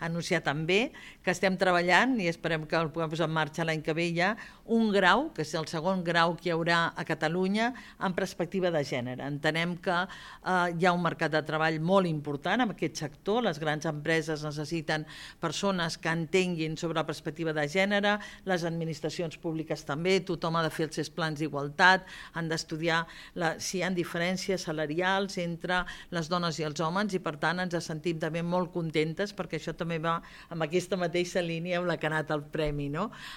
anunciar també que estem treballant i esperem que el puguem posar en marxa l'any que ve ja, un grau, que és el segon grau que hi haurà a Catalunya en perspectiva de gènere. Entenem que hi ha un mercat de treball molt important en aquest sector, les grans empreses necessiten persones que entenguin sobre la perspectiva de gènere, les administracions públiques també, tothom ha de fer els seus plans d'igualtat, han d'estudiar si hi ha diferències salarials entre les dones i els homes i per tant ens sentim també molt contentes perquè això també va amb aquesta mateixa línia amb la que ha anat el premi, no?